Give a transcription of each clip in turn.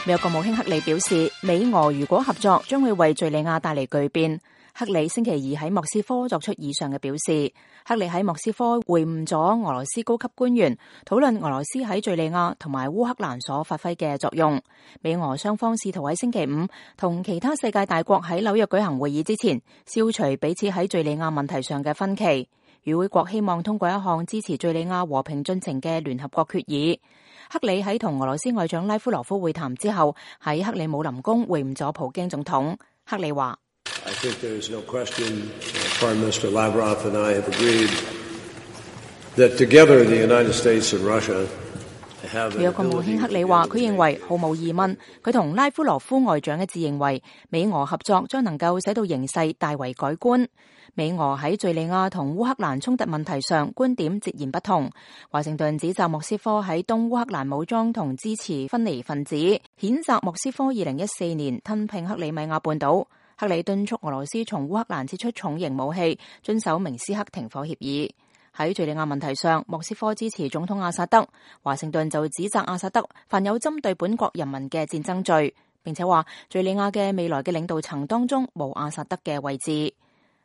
美國國務卿克里表示，美俄如果合作，將會為敘利亞帶嚟巨變。克里星期二喺莫斯科作出以上嘅表示。克里喺莫斯科會晤咗俄羅斯高級官員，討論俄羅斯喺敘利亞同埋烏克蘭所發揮嘅作用。美俄雙方試圖喺星期五同其他世界大國喺紐約舉行會議之前，消除彼此喺敘利亞問題上嘅分歧。與會國希望通過一項支持敘利亞和平進程嘅聯合國決議。克里喺同俄羅斯外長拉夫羅夫會談之後，喺克里姆林宮會晤咗普京總統。克里話I think there is no question, Prime Minister Lavrov and I have agreed that together the United States and Russia have an ability. 美國國務卿克里話，佢認為毫無疑問，佢同拉夫羅夫外長一致認為，美俄合作將能夠使到形勢大為改觀。美俄喺敘利亞同烏克蘭衝突問題上觀點截然不同。華盛頓指責莫斯科喺東烏克蘭武裝同支持分離分子，譴責莫斯科2014年吞併克里米亞半島。克里敦促俄羅斯從烏克蘭撤出重型武器，遵守明斯克停火協議。喺敘利亞問題上，莫斯科支持總統阿薩德，華盛頓就指責阿薩德犯有針對本國人民嘅戰爭罪，並且話敘利亞嘅未來嘅領導層當中冇阿薩德嘅位置。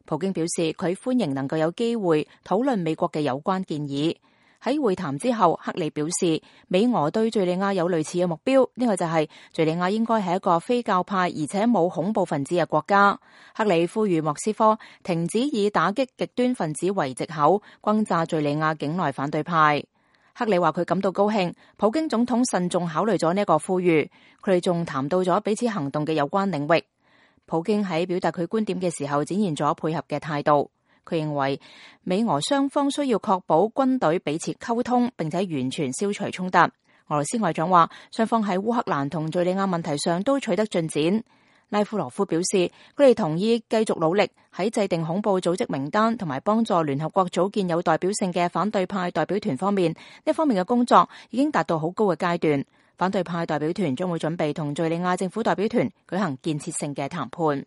普京表示佢歡迎能夠有機會討論美國嘅有關建議。喺會談之後，克里表示美俄對敘利亞有類似嘅目標，呢個就係敘利亞應該係一個非教派而且冇恐怖分子嘅國家。克里呼籲莫斯科停止以打擊極端分子為藉口轟炸敘利亞境內反對派。克里話佢感到高興，普京總統慎重考慮咗呢一個呼籲，佢哋仲談到咗彼此行動嘅有關領域。普京喺表達佢觀點嘅時候展現咗配合嘅態度。佢認為美俄雙方需要確保軍隊彼此溝通，並且完全消除衝突。俄羅斯外長話，雙方喺烏克蘭同敘利亞問題上都取得進展。拉夫羅夫表示，佢哋同意繼續努力喺制定恐怖組織名單同埋幫助聯合國組建有代表性嘅反對派代表團方面，呢方面嘅工作已經達到好高嘅階段。反對派代表團將會準備同敘利亞政府代表團舉行建設性嘅談判。